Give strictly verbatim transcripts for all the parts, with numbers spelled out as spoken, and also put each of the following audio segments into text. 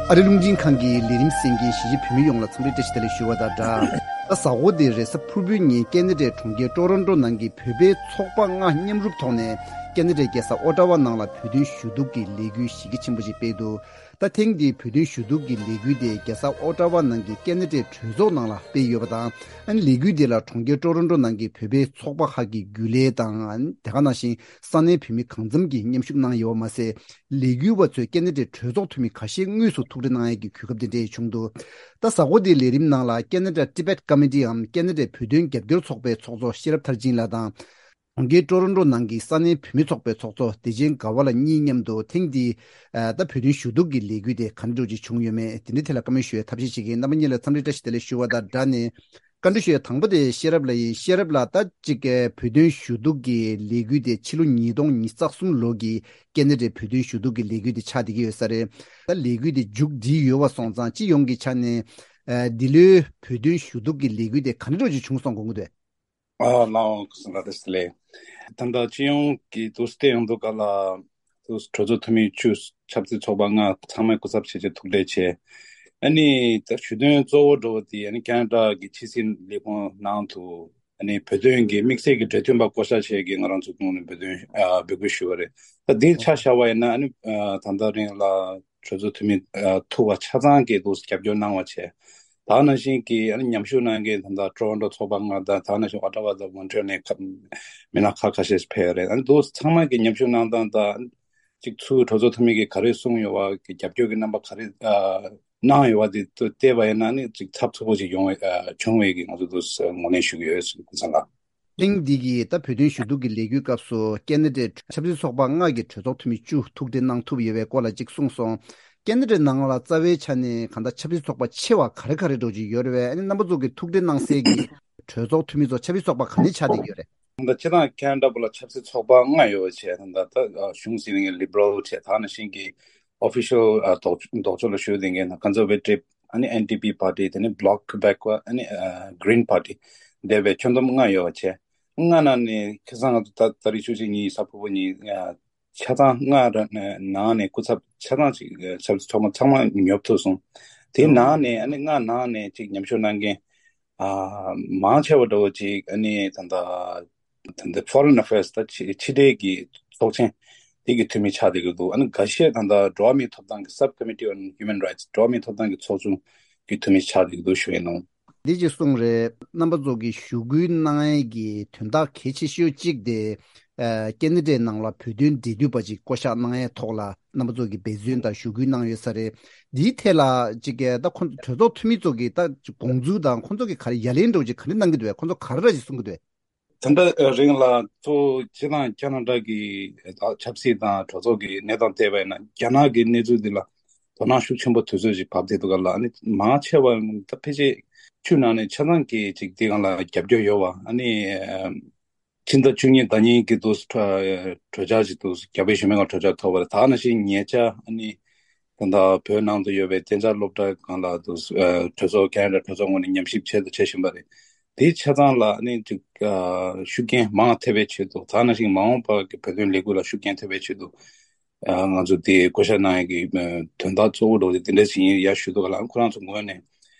ཨ་རི་རླུང་འཕྲིན་ཁང་གི་ལས་རིམ་གསན་མཁན་གཞིས་བྱེས་བོད་མི་ཡོངས་ལ་འཚམས་འདྲི་བཀྲ་ཤིས་བདེ་ལེགས་ཞུ་བ་དང་སྦྲགས། ད་གཟའ་འཁོར་འདིའི་རེས་གཟའ་ཕུར་བུའི་ཉིན་ཀེ་ན་ཌའི་གྲོང་ཁྱེར་ཀྲོ་རོན་ཀྲོ་ནང་གི་བོད་པའི་ཚོགས་པ་ལྔ་མཉམ་རུབ་ཐོག་ནས་ཀེ་ན་ཌའི་རྒྱལ་ས་ཨོ་ཊ་ཝ་ནང་ལ་བོད་དོན་ཞུ་གཏུག་གི་ལས་འགུལ་གཞི་རྒྱ་ཆེན་པོ་ཞིག་སྤེལ་འདུག་ད་ཐེངས་འདིའི་བོད་དོན་ཞུ་གཏུག་གི་ལས་འགུལ་དེ་རྒྱལ་ས་ཨོ་ཊ་ཝ་ནང་གི་ཀེ་ན་ཌའི་གྲོས་ཚོགས་ནང་ལ་སྤེལ་ཡོད་པ་དང་། ཨ་ནི་ལས་འགུལ་དེ་ལ་གྲོང་ཁྱེར་ཀྲོ་རོན་ཀྲོ་ནང་གི་བོད་པའི་ཚོགས་པ་ཁག་གི་རྒྱུན་ལས་དང་། ཨ་ནི་དེ་ག་ནང་བཞིན་ས་གནས་བོད་མི་གང་འཚམ་གྱིས་མཉམ་ཞུགས་གནང་ཡོད་པ་མ་ཟད། ལས་འགུལ་བ་ཚོས་ཀེ་ན་ཌའི་གྲོས་ཚོགས་འཐུས་མི་ཁ་ཤས་དངོས་སུ་ཐུག་འཕྲད་གནང་ཡས་ཀྱི་གོ་སྐབས་དེ་འདྲ་ཡང་བྱུང་འདུག་ད་གཟའ་འཁོར་འདིའི་ལས་རིམ་ནང་ལ་ཀེ་ན་ཌ་ཊི་བེཊ་ཀོ་མི་ཊི་འམ་ཀེ་ན་ཌའི་བོད་དོན་རྒྱབ་སྐྱོར་ཚོགས་པའི་ཚོགས་གཙོ་ཤེས་རབ་མཐར་ཕྱིན་ལགས་དང་། གྲོང་ཁྱེར་ཀྲོ་རོན་ཀྲོ་ནང་གི་ས་གནས་བོད་མི་ཚོགས་པའི་ཚོགས་གཙོ་བདེ་ཆེན་དགའ་བ་ལགས་གཉིས་མཉམ་དུ་ཐེངས་འདིའི་ཨ་ད་བོད་དོན་ཞུ་གཏུག་གི་ལས་འགུལ་དེ་ག་འདྲ་འདྲ་ཅིག་བྱུང་ཡོད་མེད་དེ་འདྲའི་ཐད་ལ་བཀའ་མོལ་ཞུ་ཡའི་ཐབས་ཤེས་བྱེད་ཀྱིན། རྣམ་པ་གཉིས་ལ་འཚམས་འདྲི་བཀྲ་ཤིས་བདེ་ལེགས་ཞུ་བ་དང་སྦྲགས་ནས། བཀའ་འདྲི་ཞུ་ཡ་དང་པོ་དེ་ཤེས་རབ་ལགས་ཡིན། ཤེས་རབ་ལགས། ད་ཅིག་གི་བོད་དོན་ཞུ་གཏུག་གི་ལས་འགུལ་དེ་ཕྱི་ལོ་ཉིས་སྟོང་ཉི་ཤུ་རྩ་གསུམ་ལོ་གི་ཀེ་ན་ཌའི་བོད་དོན་ཞུ་གཏུག་གི་ལས་འགུལ་དེ་ཆགས་བསྡད་ཀྱི་ཡོད་ས་རེད། ད་ལས་འགུལ་དེ་མཇུག་སྒྲིལ་ཡོད་པ་སོང་ཙང་སྤྱི་ཡོངས་ཀྱི་ཆ་ནས་ཨ་འདི་ལོའི་བོད་དོན་ཞུ་གཏུག་གི་ལས་འགུལ་དེ་ག་འདྲ་འདྲ་ཅིག་བྱུང་སོང་དགོངས་ཀྱི་འདུག་ཨ་ལགས་འོང་། ཁ་སང་ལ་དེ་སླེ། ད་ལྟ་སྤྱི་ཡོངས་ཀྱི་དུས་སྟེང་ཡོང་དུས་ག་ལ་དུས་གྲོས་ཚོགས་འཐུས་མི་བཅུ་ཆབ་སྲིད་ཚོགས་པ་ལྔ་ཚང་མས་སྐུ་ཚབ་བྱས་རྗེས་ཐུག་འཕྲད་བྱས། ཨ་ནི་ད་ཞུ་དོན་གཙོ་བོ་འགྲོ་བ་དེ་ཨ་ནི་ཁེ་ན་ཌ་གི་ཕྱི་སྲིད་ལས་ཁུངས་ནང་དུ་ཨ་ནི་བོད་དོན་གྱི་དམིགས་བསལ་གྱི་འབྲེལ་མཐུད་པ་བསྐོ་བཞག་བྱས་ཀྱི་ང་རང་ཚོ་ཁོང་ནས་བོད་དོན་ཨ་འབོད་སྐུལ་ཞུས་པ་རེད། ད་འདི་ཆ་བཞག་པ་ཡིན་ན་ཨ་ནི་ཨ་ད་ལྟ་རིང་ལ་གྲོས་ཚོགས་འཐུས་མི་ཨ་ཐུག་པ་ཆ་ཚང་གིས་འདུག་རྒྱབ་སྐྱོར་གནང་བ་བྱས། ད་ནང་བཞིན་གྱི་ཨ་ནི་མཉམ་ཞུགས་གནང་མཁན་ད་ལྟ་ཀྲོ་རོན་ཀྲོ་ཚོགས་པ་ལྔ་དང་ད་ནང་བཞིན་ཨོ་ཊ་ཝ་དང་མོན་ཊི་རི་ཡལ་ནས་ཁ་མི་སྣ་ཁག་ཁ་ཤས་ཕེབས་ཡོད་རེད། ཨ་ནི་འདུག་ཚང་མ་གིས་མཉམ་ཞུགས་གནང་སྟངས་དང་གཅིག་ཚུར་གྲོས་ཚོགས་འཐུས་མི་གིས་ག་རེ་གསུངས་ཡོད་པ་གི་རྒྱབ་སྐྱོར་གྱི་རྣམ་པ་ག་རེ་ཨ་གནང་ཡོད་པ་དེ་ཚོ་བལྟས་པ་ཡིན་ན་ནི་གཅིག་ཚབས་ཚུད་པོ་ཅིག་ཡོང་བའི་ཨ་བྱུང་བའི་གི་ང་ཚོ་འདུག་ངོས་ལེན་ཞུ་གི་ཡོད་ཟེར་གི་ཚང་ལ། ཐེངས་འདི་གི་ད་བོད་དོན་ཞུ་གཏུག་གི་ལས་འགུལ་སྐབས་སུ་ཀེ་ན་ཌའི་ཆབ་སྲིད་ཚོགས་པ་ལྔ་གི་གྲོས་ཚོགས་འཐུས་མི་བཅུ་ཐུག་འཕྲད་གནང་ཐུབ་ཡོད་པའི་སྐོར་ལ་གཅིག་གསུངས་སོང་། ཀེ་ན་ཌའི་ནང་ལ་རྩ་བའི་ཆ་ནས་གང་ལྟར་ཆབ་སྲིད་ཚོགས་པ་ཆེ་བ་ག་རེ་ག་རེ་འདྲ་ཅིག་ཡོད་རེད་པས། ཨ་ནི་རྣམ་པ་ཚོ་གི་ཐུག་འཕྲད་གནང་སའི་གི་གྲོས་ཚོགས་འཐུས་མི་ཚོ་ཆབ་སྲིད་ཚོགས་པ་ག་ནས་ཆགས་བསྡད་ཀྱི་ཡོད་རེད། ད་སྤྱིར་བཏང་ཁེ་ན་ཌ་བོད་ལ་ཆབ་སྲིད་ཚོགས་པ་ལྔ་ཡོད་པ་བྱས། ད་ལྟ་གཞུང་འཛིན་མཁན་ལི་བྷི་རལ་བྱས། ད་ནང་བཞིན་གྱི་ཨོ་ཕི་ཤལ་ལྡོག་ལྡོག་ཕྱོགས་ལ་བཞུགས་བསྡད་མཁན་ད་ཀོན་ཟར་ཝེ་ཊིབ། ཨ་ནི་ཨེན་ཌི་པི་པར་ཊི། དེ་ནས་བྷི་ལོག་ཀུ་བེག་པ། ཨ་ནི་གྷི་རིན་པར་ཊི། འདས་པའི་ཁྱོན་བསྡོམས་ལྔ་ཡོད་པ་བྱས། ལྔ་ནང་ནས་ཁ་སང་ང་ཚོ་ད་ད་རེས་ཆུ་ཚོད་གཉིས་གཟའ་ཕུར་བུ་ཉིན་ཆ་ཚང་ལྔ་ར་ནང་ནས་སྐུ་ཚབ་ཆ་ཚང་ཅིག་ཆབ་སྲིད་ཚོགས་པ་ཚང་མ་ཉོབ་ཐུབ་སོང་། དེའི་ནང་ནས་ཨ་ནི་ལྔ་ནང་ནས་ཅིག་མཉམ་ཞུགས་གནང་མཁན་ཨ་མང་ཆེ་བ་འདྲ་བོ་ཅིག་ཨ་ནི་ད་ལྟ་ད་ལྟ་ཕོ་རེན་ཨ་ཕེར་སི། ད་ཕྱི་ཕྱི་འབྲེལ་གྱི་ཚོགས་ཆེན་དེ་གི་འཐུས་མི་ཆགས་བསྡད་ཀྱི་འདུག་ཨ་ནི་འགའ་ཤས་ད་ལྟ་འགྲོ་བ་མིའི་ཐོབ་ཐང་གི་Subcommittee on Human Rights། འགྲོ་བ་མིའི་ཐོབ་ཐང་གི་ཚོགས་ཆུང་གི་འཐུས་མི་ཆགས་བསྡད་ཀྱི་འདུག་ཞུ་ཡས་ནོ། འདི་ཅིག་གསུངས་རེད། རྣམ་པ་ཚོ་གིས་ཞུ་སྐུལ་གནང་ཡས་ཀྱི་དོན་དག་གལ་ཆེ་ཤོས་གཅིག་དེ་ཨ་ཀེ་ན་ཌའི་ནང་ལ་བོད་དོན་འབྲེལ་མཐུད་པ་ཅིག་བསྐོ་བཞག་གནང་ཡས་ཐོག་ལ་རྣམ་པ་ཚོ་གིས་འབད་བརྩོན་དང་ཞུ་སྐུལ་གནང་ཡོད་ས་རེད། འདིའི་ཐད་ལ་ཅིག་གི་ད་ཁོང་གྲོས་ཚོགས་འཐུས་མི་ཚོ་གིས་ད་དགོངས་ཚུལ་དང་ཁོང་ཚོ་གིས་ག་རེ་ཡ་ལན་འདྲ་བོ་ཅིག་ག་རེ་གནང་གི་འདུག་བས། ཁོང་ཚོ་ག་རེ་ར་ཅིག་གསུང་གི་འདུག་བས། ད་ལྟ་རིང་ལ་གཙོ་བོ་སྤྱིར་བཏང་ཁེ་ན་ཌ་གི་ཆབ་སྲིད་དང་གྲོས་ཚོགས་ཀྱི་གནས་སྟངས་བལྟས་པ་ཡིན་ན་རྒྱ་ནག་གི་གནས་ཚུལ་འདི་ལ་དོ་སྣང་ཤུགས་ཆེན་པོ་དུས་ཚོད་ཅིག་བབས་བསྡད་འདུག་ག་ལ། ཨ་ནི་མང་ཆེ་བ་ད་ཕལ་ཆེར་ཆུ་ནང་ནས་ཆ་ཚང་གིས་ཅིག་འདི་སྒང་ལ་རྒྱབ་སྐྱོར་ཡོད་པ། ཨ་ནི་ཕྱི་ཟླ་བཅུ་གཉིས་ཟླ་གཉིས་ཀྱི་དུས་གྲོས་འཆར་ཅིག་འདུག་རྒྱ་བོད་གཞུང་མིན་གྱི་གྲོས་འཆར་ཐོབ་པ་རེད། ད་ནང་བཞིན་ཉེ་ཆར་ཨ་ནི་ད་ལྟ་བོད་ནང་དུ་ཡོད་པའི་གཏན་འཇགས་སློབ་གྲྭ་སྒང་ལ་དུ་ཨ་གྲོས་ཚོགས་ཁེ་ན་ཌ་གྲོས་ཚོགས་ངོས་ནས་ཉམས་ཞིབ་བྱས་དང་བྱེད་བཞིན་པ་རེད། དེའི་ཆ་ཚང་ལ་ཨ་ནི་ཅིག་ཨ་ཤུགས་རྐྱེན་མང་ཐེབས་པའི་ཆེད་དུ། ད་ནང་བཞིན་མ་འོངས་པ་གི་བོད་དོན་ལས་འགུལ་ལ་ཤུགས་རྐྱེན་ཐེབས་པའི་ཆེད་དུ་ཨ་ང་ཚོ་དེ་བསྐོ་བཞག་གནང་ཡས་ཀྱི་ཨ་དོན་དག་གཙོ་བོ་འདྲ་བོ་དེ་འདྲ་ཞིག་ཡིན་ཡ་ཞུ་འདུག་ག་ལ། ཁོ་རང་ཚོ་ངོས་ནས་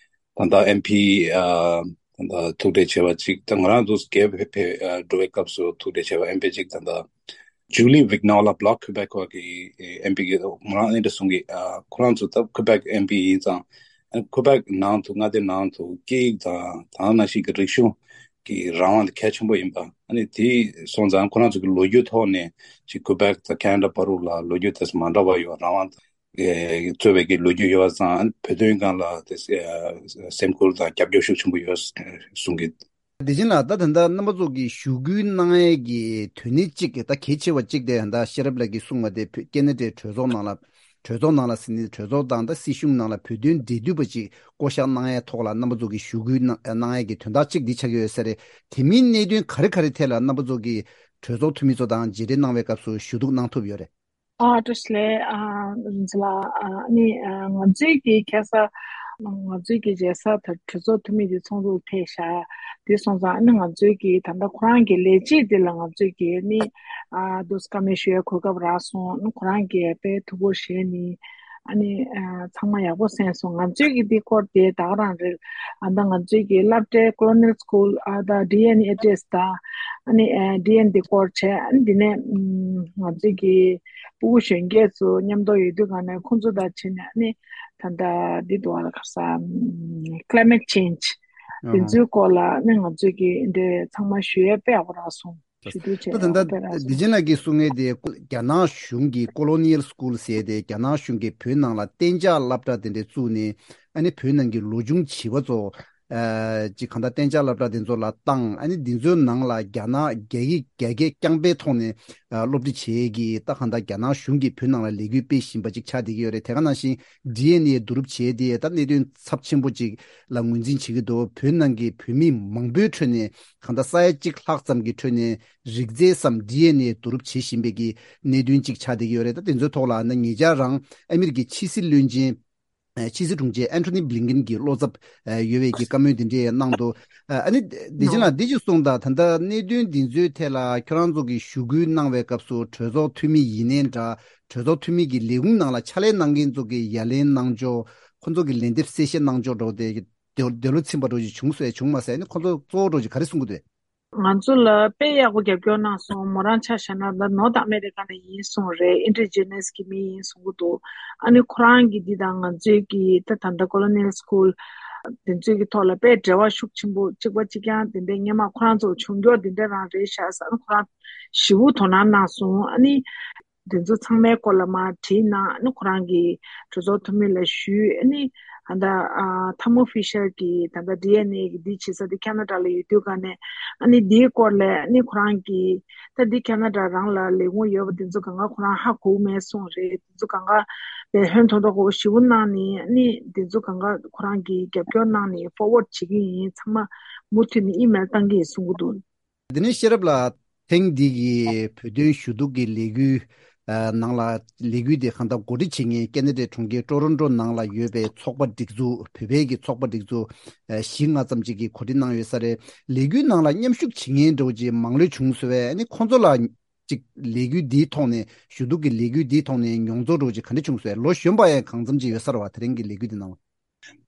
ད་ལྟ་ཨེམ་པི་ཨ་ད་ལྟ་ཐུག་འཕྲད་བྱས་པ་གཅིག་ད་ང་རང་ཚོ་རྒྱ་བོད་ཕེབས་ཨ་འགྲོ་བའི་སྐབས་སུ་ཐུག་འཕྲད་བྱས་པ་ཨེམ་པི་གཅིག་ད་ལྟ་ཇུ་ལི་ཝིག་ནོ་ལ་བྷི་ལོག་ཀུ་བེག་གི་ཨེམ་པི་གི་ང་རང་ཨེ་འདྲ་གསུང་གི་ཨ་ཁོ་རང་ཚོ་ད་ཀུ་བེག་ཨེམ་པི་ཡིན་ཙང་ཨ་ཀུ་བེག་ནང་དུ་མངའ་སྡེ་ནང་དུ་སྐད་ཡིག་དང་ད་ནང་བཞིན་གྱི་རིག་གཞུང་གི་རང་དབང་དེ་གལ་ཆེན་པོ་ཡིན་པ། ཨ་ནི་དེ་སོང་ཙང་ཁོ་རང་ཚོ་གི་ལོ་རྒྱུས་ཐོག་ནས་ཅིག་ཀུ་བེག་དང་ཁེ་ན་ཌ་བར་དུ་ལ་ལོ་རྒྱུས་དེ་མ་འདྲ་བ་ཡོད། རང་དབང་ཨེ་རྩོད་པའི་གི་ལོ་རྒྱུས་ཡོད་པ་ཙང་བོད་དོན་སྒང་ལ་དེ་ཨེ་སེམས་ཁུར་དང་རྒྱབ་སྐྱོར་ཤུགས་ཆེན་པོ་ཡོད་གསུང་གི། བདེ་ཆེན་ལགས། ད་ད་ལྟ་རྣམ་པ་ཚོ་གིས་ཞུ་སྐུལ་གནང་ཡས་ཀྱི་དོན་སྣེ་གཅིག་གི་ད་གལ་ཆེ་བ་གཅིག་དེ་ད་ཤེས་རབ་ལགས་ཀྱིས་གསུངས་པ་དེ་བོད་ཀེ་ན་ཌའི་གྲོས་ཚོགས་ནང་ལ་གྲོས་ཚོགས་ནང་ལ་ཟེར་ནས་གྲོས་ཚོགས་དང་ད་སྲིད་གཞུང་ནང་ལ་བོད་དོན་འབྲེལ་མཐུད་པ་ཅིག་བསྐོ་བཞག་གནང་ཡས་ཐོག་ལ་རྣམ་པ་ཚོ་གིས་ཞུ་སྐུལ་གནང་གནང་ཡས་ཀྱི་དོན་དག་གཅིག་འདི་ཆགས་ཀྱི་ཡོད་ས་རེད། དེ་མིན་གནད་དོན་ག་རེ་ག་རེ་ཐད་ལ་རྣམ་པ་ཚོ་གིས་གྲོས་ཚོགས་འཐུས་མི་ཚོ་དང་མཇལ་འཕྲད་གནང་བའི་སྐབས་སུ་ཞུ་གཏུག་གནང་ཐུབ་ཡོད་རེད། ཨ་བཀྲ་ཤིས་བདེ་ལེགས། ཨ་རིན་ཆེན་ལགས། ཨ་ནི་ཨ་ང་ཚོའི་གི་ཁ་སང་ང་ཚོའི་གི་མཇལ་ས་དང་གྲོས་ཚོགས་འཐུས་མི་དེ་ཚོགས་འདུ་ཕེབས་ཤག་དེ་སོང་ཙང་ཨ་ནི་ང་ཚོའི་གི་ད་ལྟ་ཁོ་རང་གི་ལས་བྱེད་དེ་ལ་ང་ཚོའི་གི་ཨ་ནི་ཨ་དུས་བཀའ་མོལ་ཞུ་ཡའི་གོ་སྐབས་རག་སོང་། ཨ་ནི་ཁོ་རང་གིས་དཔེ་ཐུགས་ཁུར་བཞེས་ནས་ ཨ་ནི་ཨ་ཚང་མ་ཡག་པོ་གསན་སོང་། ང་ཚོའི་གི་འདི་སྐོར་དེ་ད་ག་རང་རེད། ཨ་ད་ང་ཚོའི་གི་སློབ་གྲྭའི་Colonial School ཨ་ད་ཌི་ཨེན་ཨེ་ཌི་རེས་དང་ཨ་ནི་ཨ་ཌི་ཨེན་འདི་སྐོར་བྱས། ཨ་ནི་འདི་ནས་ཨམ་ང་ཚོའི་གི་ཕྲུ་གུ་གཞོན་སྐྱེས་ཚོ་མཉམ་དུ་ཡོད་དུས་ག་ནས་ཁོང་ཚོ་དང་བྱས་ནས་ཨ་ནི་ད་ད་འདི་འདུག་ཨ་ལ་ག་ས་ཨམ་Climate Change ཨ་འདི་ཚོའི་སྐོར་ལ་ཨ་ནི་ང་ཚོའི་གི་འདི་ཚང་མ་ཞུ་ཡས་དཔེ་ཡག་པོ་རག་སོང་། ཞུ་དུས་ད་བྱས་ད་ལྟ་ཡང་དཔེ་རག་བདེ་སོང་། ཆེན་ལགས་ཀྱིས་གསུང་མཁན་དེ་རྒྱ་ནག་གཞུང་གི་Colonial School ཟེར་ཏེ་རྒྱ་ནག་གཞུང་གིས་བོད་ནང་ལ་གཏན་འཇགས་སློབ་གྲྭ་དེ་འདྲ་བཙུགས་ནས་ཨ་ནི་བོད་ནང་གི་ལོ་ཆུང་བྱིས་པ་ཚོ་ཨ་ཅིག་གང་ལྟར་གཏན་འཇགས་སློབ་གྲྭ་དེ་ཚོ་ལ་བཏང་། ཨ་ནི་འདི་ཚོའི་ནང་ལ་རྒྱ་ནག་རྒྱ་ཡིག་རྒྱ་སྐད་རྐྱང་པའི་ཐོག་ནས་ཨ་སློབ་ཁྲིད་བྱེད་ཀྱི་ད་གང་ལྟར་རྒྱ་ནག་གཞུང་གིས་བོད་ནང་ལ་ལས་འགུལ་སྤེལ་བཞིན་པ་ཅིག་ཆགས་བསྡད་ཀྱི་ཡོད་རེད། དེ་ག་ནང་བཞིན་ཌི་ཨེན་ཨེ་བསྡུ་རུབ་བྱས་ཏེ་ད་གནད་དོན་ཚབས་ཆེན་པོ་ཅིག་ལ་ངོས་འཛིན་བྱེད་ཀྱི་འདུག་བོད་ནང་གི་བོད་མི་མང་པོའི་ཁྲོད་ནས་གང་ལྟར་ས་ཡ་གཅིག་ལྷག་ཙམ་གྱི་ཁྲོད་ནས་རིགས་རྫས་སམ་ཌི་ཨེན་ཨེ་བསྡུ་རུབ་བྱེད་བཞིན་པའི་གི་གནད་དོན་ཅིག་ཆགས་བསྡད་ཀྱི་ཡོད་རེད། ད་དེ་ཚོའི་ཐོག་ལ་ན་ཉེ་ཆར་རང་ཨ་མི་རི་ཀའི་ཕྱི་སྲིད་བློན་ཆེན་ཨ་ཕྱི་སྲིད་དྲུང་ཆེ་ཨན་ཐོ་ནི་བྷི་ལིན་ཀིན་གྱི་བློ་འཚབ་ཨ་ཡོད་པའི་གི་བཀའ་མོལ་དེ་འདྲས་གནང་འདུག་ཨ་ཨ་ནི་བདེ་ཆེན་ལགས་འདི་ཅིག་གསུངས་དང་། ད་ལྟ་གནད་དོན་འདི་ཚོའི་ཐད་ལ་ཁྱོད་རང་ཚོ་གིས་ཞུ་སྐུལ་གནང་བའི་སྐབས་སུ་གྲོས་ཚོགས་འཐུས་མི་ཡིན་ནའི་འདྲ། གྲོས་ཚོགས་འཐུས་མི་གི་ལས་ཁུངས་ནང་ལ་ཕྱག་ལས་གནང་མཁན་ཚོ་གིས་ཡ་ལན་གནང་ཕྱོགས། ཁོང་ཚོ་གི་ལན་འདེབས་གསལ་བཤད་གནང་ཕྱོགས་འདྲ་བོ་དེ་འདོད་འདོད་བློ་ཚིམ་པ་འདྲ་བོ་ཅིག་བྱུང་སོང་ཡ་བྱུང་མ་སོང་ཡ། ཨ་ནི་ཁོང་ཚོ་གཙོ་བོ་འདྲ་བོ་ཅིག་ག་རེ་གསུང་གི་འདུག་ང་ཚོ་ལ་དཔེ་ཡག་པོ་རྒྱབ་སྐྱོར་གནང་སོང་། མོ་རང་ཆ་བཞག་ན་ད་ནོར་ཐ་ཨ་མེ་རི་ཀ་ནས་ཡིན་གསུངས་རེད། ཨིན་ཌི་ཇི་ནས་གི་མི་ཡིན་གསུང་གི་འདུག་ཨ་ནི་ཁོ་རང་གི་འདི་དང་ང་ཚོའི་གི་ད་ད་ལྟ་Colonial School དེ་ཚོའི་གི་ཐོག་ལ་དཔེ་འབྲེལ་བ་ཤུགས་ཆེན་པོ་གཅིག་པ་གཅིག་རྐྱང་དེ་འདྲའི་སྔོན་མ་ཁོ་རང་ཚོ་བྱུང་མགྱོགས་དེ་འདྲ་རང་རེད་ཤག་ཟེར། ཨ་ནི་ཁོ་རང་ཞེ་པོ་དོ་སྣང་གནང་སོང་། ཨ་ནི་དེ་ཚོ་ཚང་མའི་སྐོར་ལ་མར་བྲིས་གནང་། ཨ་ནི་ཁོ་རང་གི་གྲོས་ཚོགས་འཐུས་མི་ལ་ཞུས། ཨ་ནི་ཨ་ད་ཨ་ཐ་མོ་ཧྥི་ཤར་གྱིས་ད་ལྟ་ཌི་ཨེན་ཨེ་གི་འདི་བྱེད་ས་དེ་ཁ་ན་ཌ་ལ་ཡོད་དུས་ག་ནས་ཨ་ནི་འདིའི་སྐོར་ལ་ཨ་ནི་ཁོ་རང་གིས་ད་འདི་ཁ་ན་ཌ་རང་ལ་ལས་ཁུངས་ཡོད་པ་དེ་ཚོ་གང་ག་ཁོ་རང་ཧ་གོ་མེད་གསུངས་རེད། དེ་ཚོ་གང་ག་བས་ཧོན་ཐོར་ཐོར་གོ་ཞེ་པོ་གནང་ནས་ཨ་ནི་དེ་ཚོ་གང་ག་ཁོ་རང་གིས་རྒྱབ་སྐྱོར་གནང་ནས་ཕོར་ཝརཌ་བྱེད་ཀྱི་ཡིན། ཚང་མ་མུ་མཐུད་ནས་ཨི་མེལ་བཏང་གི་ཡིན་གསུང་གི་འདུག་དེ་ནས་ཤེས་རབ་ལགས། ཐེངས་འདི་གི་བོད་དོན་ཞུ་གཏུག་གི་ལས་འགུལ་ཨ་ནང་ལ་ལས་འགུལ་དེ་གང་ལྟར་གོ་སྒྲིག་བྱེད་མཁན་ཀེ་ན་ཌའི་གྲོང་ཁྱེར་ཀྲོ་རོན་ཀྲོ་ནང་ལ་ཡོད་པའི་ཚོགས་པ་སྒྲིག་འཛུགས། བོད་པའི་གི་ཚོགས་པ་སྒྲིག་འཛུགས་ཨ་བཞི་ལྔ་ཙམ་ཅིག་གིས་གོ་སྒྲིག་གནང་ཡོད་ས་རེད། ལས་འགུལ་ནང་ལ་མཉམ་ཞུགས་བྱེད་མཁན་འདྲ་བོ་ཅིག་མང་ལོས་བྱུང་སོང་བས། ཨ་ནི་ཁོང་ཚོ་ལ་ཅིག་ལས་འགུལ་འདིའི་ཐོག་ནས་ཞུ་གཏུག་གི་ལས་འགུལ་འདིའི་ཐོག་ནས་མྱོང་ཚོར་འདྲ་བོ་ཅིག་ག་འདྲ་བྱུང་སོང་། ལོ་གཞོན་པ་ཡང་གང་ཙམ་ཅིག་ཡོད་ས་རེད་བ། དེ་རིང་གི་ལས་འགུལ་འདི་ནང་ལ།